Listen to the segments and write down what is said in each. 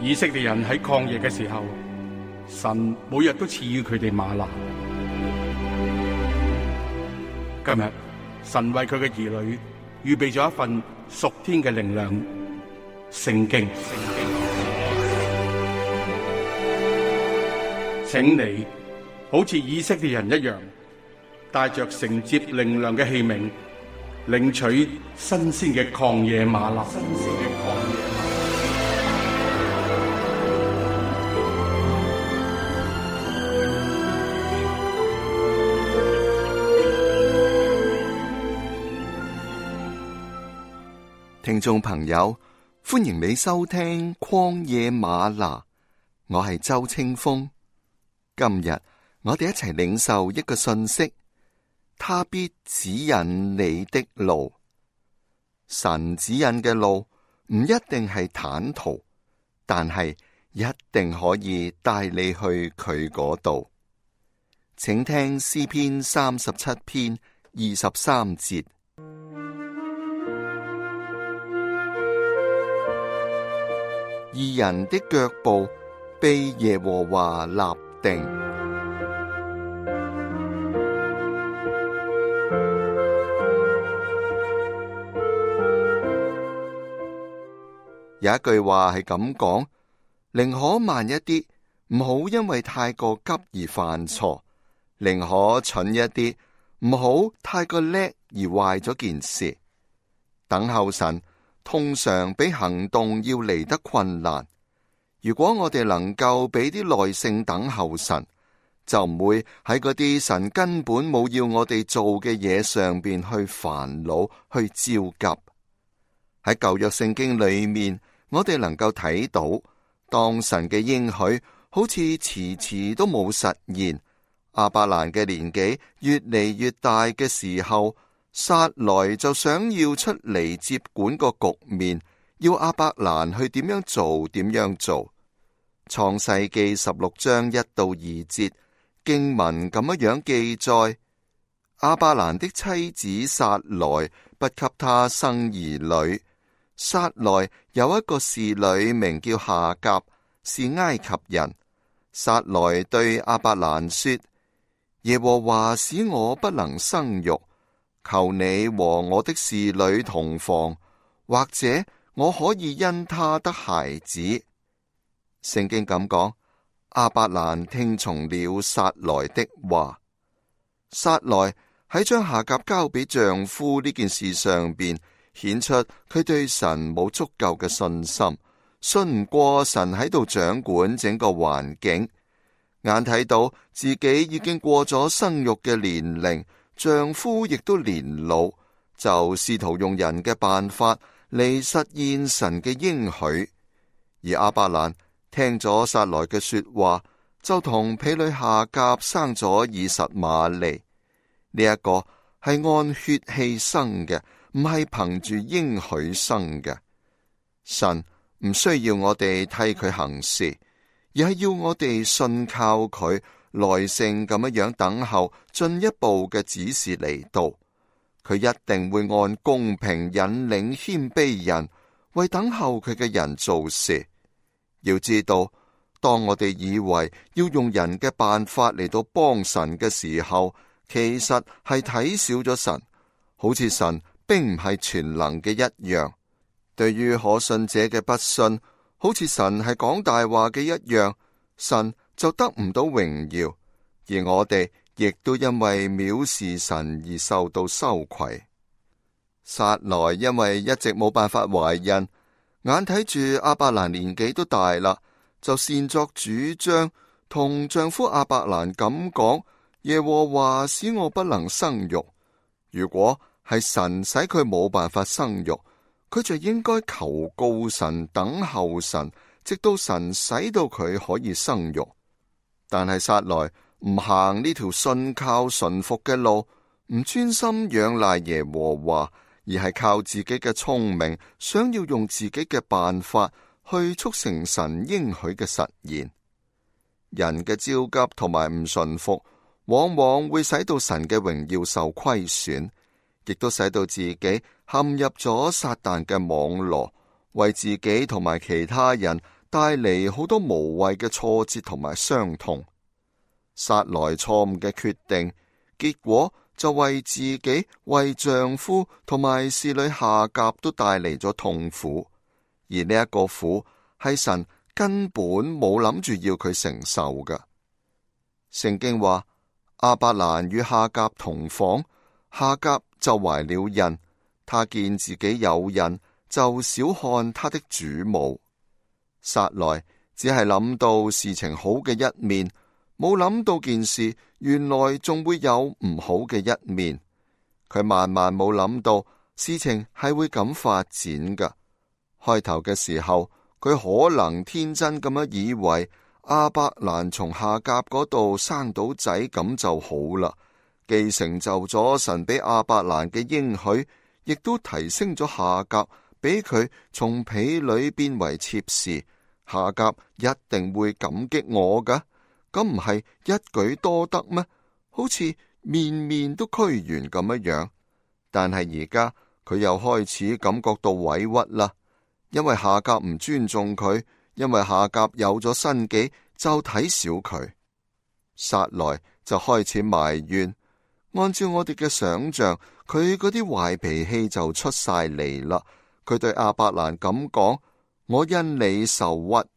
以色列人喺曠野嘅時候，神每日都賜予佢哋嗎哪。今日神為佢嘅兒女預備咗一份屬天嘅靈糧——聖經。請你好似以色列人一樣，帶着承接靈糧嘅器皿，領取新鮮嘅曠野嗎哪。聽眾朋友，歡迎你收聽曠野嗎哪，我係周清風。今日我哋一齊領受一個信息，他必指引你的路。神指引嘅路唔一定係坦途，但係一定可以帶你去佢嗰度。請聽詩篇37篇23節。義人的腳步被耶和華立定。有一句話係咁講：寧可慢一啲，唔好因為太過急而犯錯；寧可蠢一啲，唔好太過叻而壞咗件事。等候神通常比行動要嚟得困難。如果我哋能夠俾啲耐性等候神，就唔會喺嗰啲神根本冇要我哋做嘅嘢上邊去煩惱、去焦急。喺舊約聖經裏面，我哋能夠睇到，當神嘅應許好似遲遲都冇實現，亞伯蘭嘅年紀越嚟越大嘅時候，撒萊就想要出嚟接管個局面，要亞伯蘭去點樣做點樣做。創世記16章1到2節經文咁樣記載：亞伯蘭的妻子撒萊不給他生兒女。撒萊有一個侍女名叫夏甲，是埃及人。撒萊對亞伯蘭說：耶和華使我不能生育，求你和我的侍女同房，或者我可以因她得孩子。聖經咁講，亞伯蘭聽從了撒萊的話。撒萊喺將夏甲交俾丈夫呢件事上邊，顯出佢對神冇足夠嘅信心，信唔過神喺度掌管整個環境。眼睇到自己已經過咗生育嘅年齡，丈夫亦都年老，就試圖用人嘅辦法嚟實現神嘅應許。而亞伯蘭聽咗撒萊嘅說話，就同婢女夏甲生咗以實瑪利。呢一個係按血氣生嘅，唔係憑住應許生嘅。神唔需要我哋替佢行事，而係要我哋信靠佢，耐性咁樣等候進一步嘅指示嚟到。佢一定會按公平引領謙卑人，為等候佢嘅人做事。要知道，當我哋以為要用人嘅辦法嚟到幫神嘅時候，其實係睇少咗神，好似神並唔係全能嘅一樣。對於可信者嘅不信，好似神係講大話嘅一樣，神就得唔到榮耀，而我哋亦都因為藐視神而受到羞愧。撒萊因為一直冇辦法懷孕，眼睇住亞伯蘭年紀都大啦，就擅作主張同丈夫亞伯蘭咁講：耶和華使我不能生育。如果係神使佢冇辦法生育，佢就應該求告神，等候神，直到神使到佢可以生育。但係撒萊唔行呢條信靠順服嘅路，唔專心仰賴耶和華，而係靠自己嘅聰明，想要用自己嘅辦法去促成神應許嘅實現。人嘅焦急同埋唔順服，往往會使到神嘅榮耀受虧損，亦都使到自己陷入咗撒旦嘅網羅，為自己同埋其他人帶嚟好多無謂嘅挫折同埋傷痛。撒萊錯誤嘅決定，結果就為自己、為丈夫同埋侍女夏甲都帶嚟咗痛苦，而呢一個苦係神根本冇諗住要佢承受㗎。聖經話，亞伯蘭與夏甲同房，夏甲就懷了孕，他見自己有孕，就小看他的主母。撒萊只係諗到事情好嘅一面，冇諗到件事原來仲會有唔好嘅一面。佢萬萬冇諗到事情係會咁發展㗎。開頭嘅時候，佢可能天真咁樣以為亞伯蘭從夏甲嗰度生到仔咁就好啦，既成就咗神俾亞伯蘭嘅應許，亦都提升咗夏甲，俾佢從婢女變為妾侍。夏甲一定會感激我㗎，咁唔係一舉多得咩？好似面面都俱圓咁樣。但係而家佢又開始感覺到委屈啦，因為夏甲唔尊重佢，因為夏甲有咗身己就睇小佢。撒萊就開始埋怨，按照我哋嘅想象，佢嗰啲壞脾氣就出晒嚟啦。佢對亞伯蘭咁講，我因你受屈，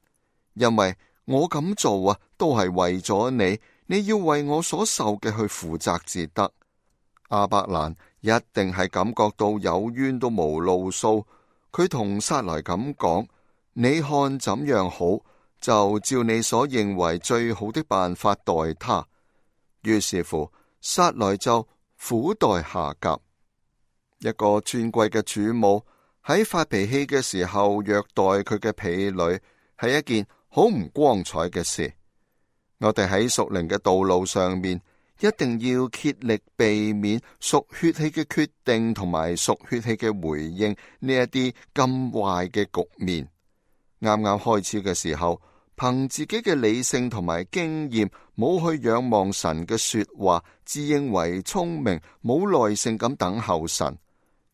因為我咁做啊，都係為咗你，你要為我所受嘅去負責至得。亞伯蘭一定係感覺到有冤都無路訴，佢同撒萊咁講，你看怎樣好，就照你所認為最好的辦法待他。於是乎，撒萊就苦待夏甲。一個尊貴嘅主母喺發脾氣嘅時候虐待佢嘅婢女，係一件好唔光彩嘅事。我哋喺屬靈嘅道路上面，一定要竭力避免屬血氣嘅決定同埋屬血氣嘅回應呢一啲咁壞嘅局面。啱啱開始嘅時候，憑自己嘅理性同埋經驗，冇去仰望神嘅說話，自認為聰明，冇耐性咁等候神，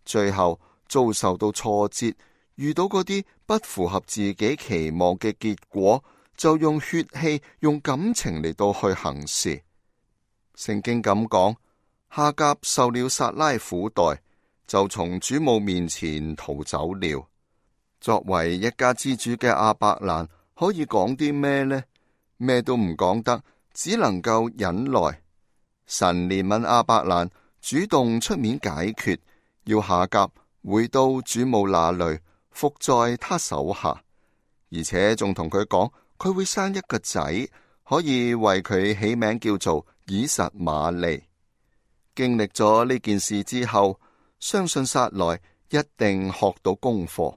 最後遭受到挫折，遇到嗰啲不符合自己期望嘅結果，就用血氣、用感情嚟到去行事。聖經咁講，夏甲受了撒拉苦待，就從主母面前逃走了。作為一家之主嘅亞伯蘭，可以講啲咩呢？咩都唔講得，只能夠忍耐。神憐憫亞伯蘭，主動出面解決，要夏甲回到主母那裏，服在他手下，而且仲同佢講，佢會生一個仔，可以為佢起名叫做以實瑪利。經歷咗呢件事之後，相信撒萊一定學到功課，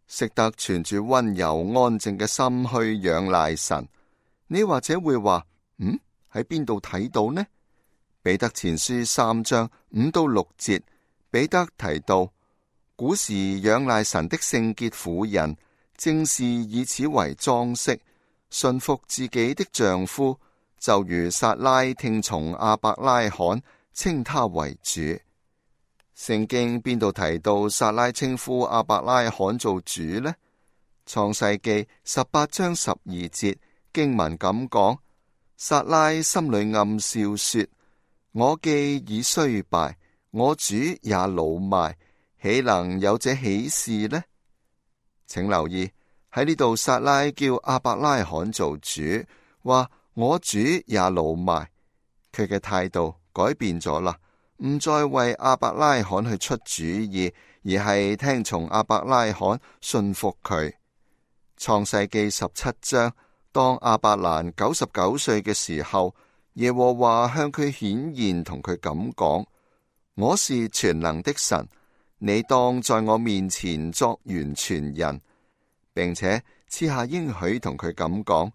識得存住溫柔安靜嘅心去仰賴神。你或者會話，喺邊度睇到呢？彼得前書3章5到6節，彼得提到，古時仰賴神的聖潔婦人，正是以此為裝飾，順服自己的丈夫，就如撒拉聽從亞伯拉罕，稱他為主。聖經邊度提到撒拉稱呼亞伯拉罕做主呢？創世記18章12節經文咁講，撒拉心裏暗笑說，我既已衰敗，我主也老邁，豈能有這喜事呢？請留意喺呢度，撒拉叫亞伯拉罕做主，話我主也老邁，佢嘅態度改變咗啦，唔再為亞伯拉罕去出主意，而係聽從亞伯拉罕，信服佢。創世記17章，當亞伯蘭99歲嘅時候，耶和華向佢顯現，同佢咁講，我是全能的神，你當在我面前作完全人，並且賜下應許同佢咁講，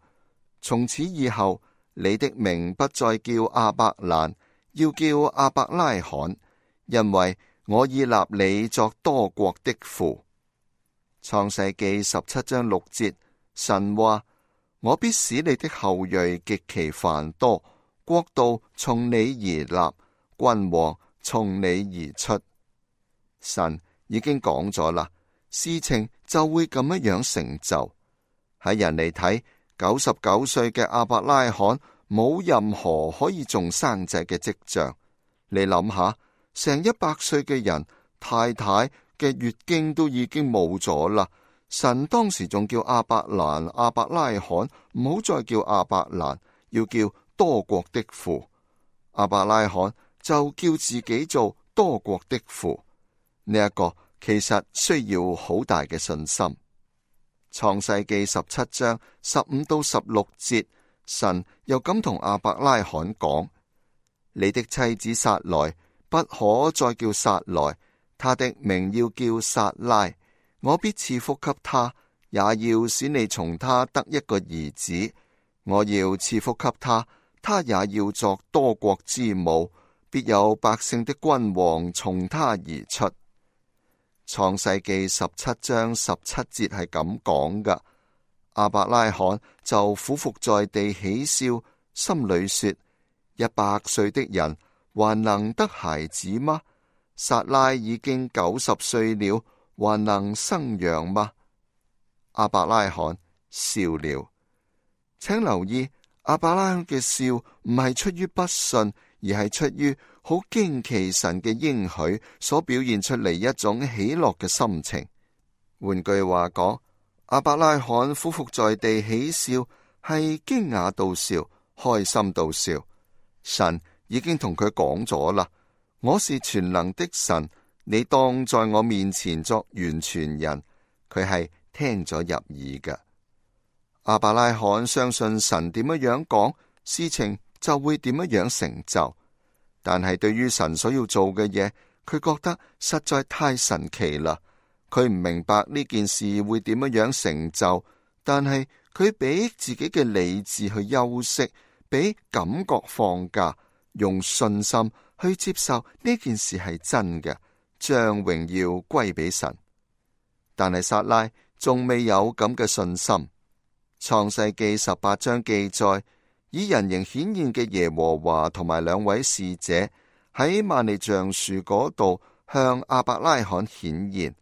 從此以後你的名不再叫亞伯蘭，要叫亞伯拉罕，因為我已立你作多國的父。創世記17章6節，神話，我必使你的後裔極其繁多，國度從你而立，君王從你而出。神已經講咗啦，事情就會咁樣成就。喺人嚟睇，99歲嘅亞伯拉罕冇任何可以仲生仔嘅跡象。你諗下，成100歲嘅人，太太嘅月經都已經冇咗啦。神當時仲叫亞伯拉罕，唔好再叫亞伯蘭，要叫多國的父。亞伯拉罕就叫自己做多國的父。呢一個其實需要好大嘅信心。創世記17章15到16節，神又咁同亞伯拉罕講：你的妻子撒萊不可再叫撒萊，她的名要叫撒拉。我必賜福給她，也要使你從她得一個兒子。我要賜福給她，她也要作多國之母，必有百姓的君王從她而出。創世記17章17節係咁講噶。亞伯拉罕就俯伏在地喜笑，心裏說：100歲的人還能得孩子嗎？撒拉已經90歲了，還能生養嗎？亞伯拉罕笑了。請留意，亞伯拉罕嘅笑唔係出於不信，而係出於好驚奇神嘅應許所表現出嚟一種喜樂嘅心情。換句話講，亞伯拉罕俯伏在地喜笑，係驚訝到笑，開心到笑。神已經同佢講咗啦，我是全能的神，你當在我面前作完全人。佢係聽咗入耳嘅。亞伯拉罕相信神點樣講，事情就會點樣成就。但係對於神所要做嘅嘢，佢覺得實在太神奇啦。佢唔明白呢件事會點樣成就，但係佢俾自己嘅理智去休息，俾感覺放假，用信心去接受呢件事係真嘅，將榮耀歸俾神。但係撒拉仲未有咁嘅信心。創世記18章記載，以人形顯現嘅耶和華同埋2位使者喺曼利橡樹嗰度向亞伯拉罕顯現。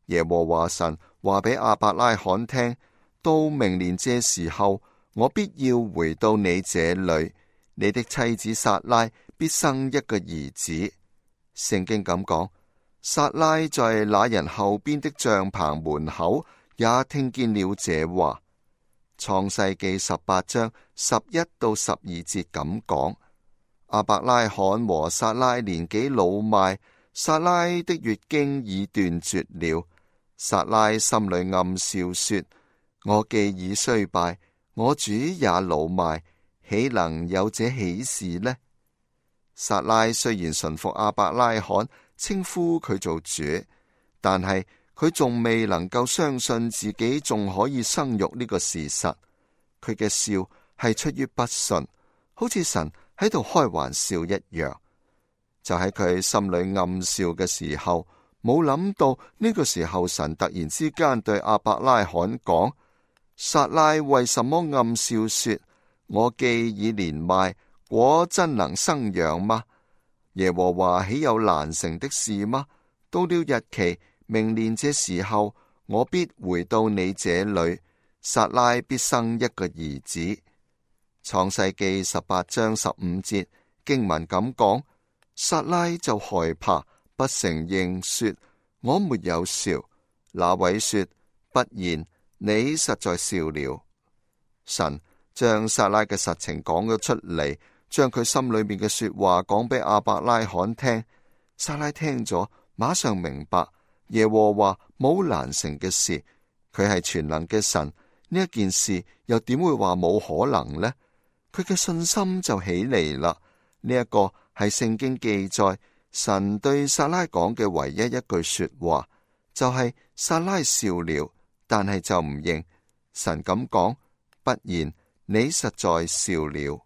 耶和華神話俾亞伯拉罕聽：到明年這時候，我必要回到你這裏，你的妻子撒拉必生一個兒子。聖經咁講，撒拉在那人後邊的帳棚門口也聽見了這話。創世記18章11到12節咁講，亞伯拉罕和撒拉年紀老邁，撒拉的月經已斷絕了。撒拉心裏暗笑說：我既已衰敗，我主也老邁，豈能有這喜事呢？撒拉雖然順服亞伯拉罕，稱呼佢做主，但係佢仲未能夠相信自己仲可以生育呢個事實。佢嘅笑係出於不信，好似神喺度開玩笑一樣。就喺佢心裏暗笑嘅時候，冇諗到呢個時候神突然之間對亞伯拉罕講：撒拉為什麼暗笑說：我既已年邁，果真能生養嗎？耶和華豈有難成的事嗎？到了日期，明年這時候，我必回到你這裏，撒拉必生一個兒子。創世記18章15節經文咁講，撒拉就害怕，不承認，說：我沒有笑。那位說：不然，你實在笑了。神將撒拉嘅實情講咗出嚟，將佢心裏面嘅說話講俾亞伯拉罕聽。撒拉聽咗，馬上明白耶和華冇難成嘅事，佢係全能嘅神，呢一件事又點會話冇可能呢？佢嘅信心就起嚟啦。呢一個係聖經記載神對撒拉講嘅唯一一句說話，就係撒拉笑了，但係就唔認。神咁講：不然，你實在笑了。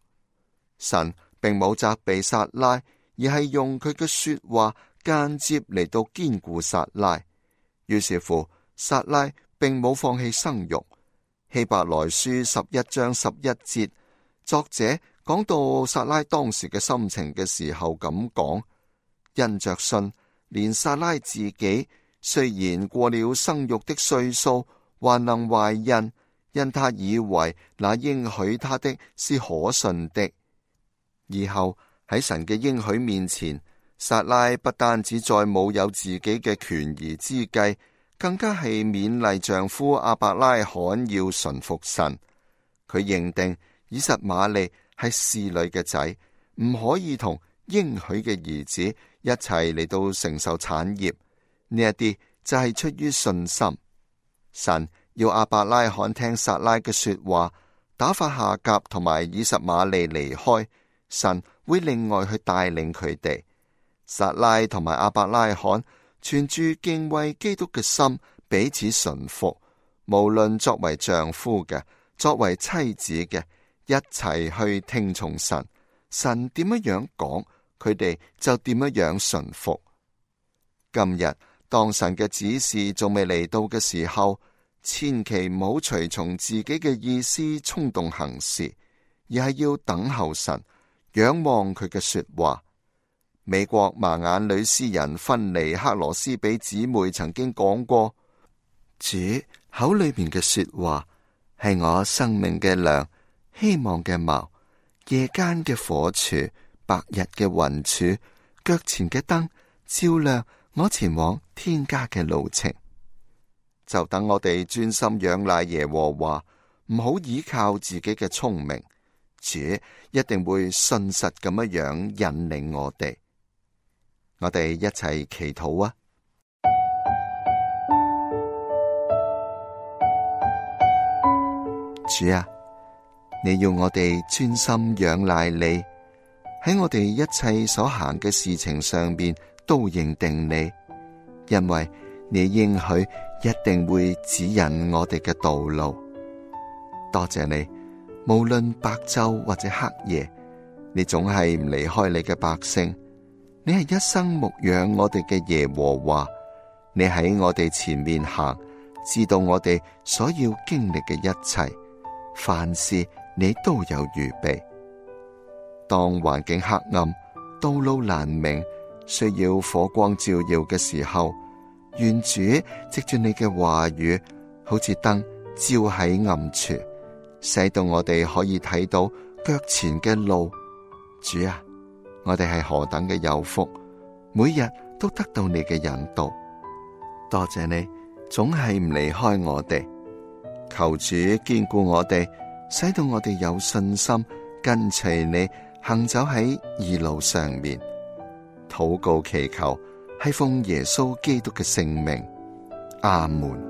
神並冇責備撒拉，而係用佢嘅說話間接嚟到堅固撒拉。於是乎，撒拉並冇放棄生育。希伯來書11章11節，作者講到撒拉當時嘅心情嘅時候咁講：因着信，連撒拉自己雖然過了生育的歲數，還能懷孕，因他以為那應許他的是可信的。以後喺神嘅應許面前，撒拉不單止再冇有自己嘅權宜之計，更加係勉勵丈夫亞伯拉罕要順服神。佢認定以實瑪利係侍女嘅仔，唔可以同應許嘅兒子一齊嚟到承受產業。呢一啲就係出於信心。神要亞伯拉罕聽撒拉嘅說話，打發夏甲同埋以實瑪利離開，神會另外去帶領佢哋。撒拉同埋亞伯拉罕存住敬畏基督嘅心，彼此順服，無論作為丈夫嘅，作為妻子嘅，一齊去聽從神。神點樣講，佢哋就點樣順服。今日當神嘅指示仲未嚟到嘅時候，千祈唔好隨從自己嘅意思衝動行事，而係要等候神，仰望佢嘅說話。美國盲眼女詩人芬尼克羅斯比姊妹曾經講過，主口裏面嘅說話係我生命嘅糧，希望嘅錨，夜間嘅火柱，白日嘅雲柱，腳前嘅燈，照亮我前往天家嘅路程。就等我哋專心仰賴耶和華，唔好依靠自己嘅聰明，主一定會信實咁樣引領我哋。我哋一齊祈禱啊！主啊，你要我哋專心仰賴你，喺我哋一切所行嘅事情上邊都認定你，因為你應許一定會指引我哋嘅道路。多謝你，無論白晝或者黑夜，你總係唔離開你嘅百姓。你係一生牧養我哋嘅耶和華，你喺我哋前面行，知道我哋所要經歷嘅一切，凡事你都有預備。當環境黑暗，道路難明，需要火光照耀嘅時候，願主藉住你嘅話語，好似燈照喺暗處，使到我哋可以睇到腳前嘅路。主啊，我哋係何等嘅有福，每日都得到你嘅引導。多謝你，總係唔離開我哋。求主堅固我哋，使到我哋有信心跟隨你，行走喺義路上面。禱告祈求，係奉耶穌基督嘅聖名。阿門。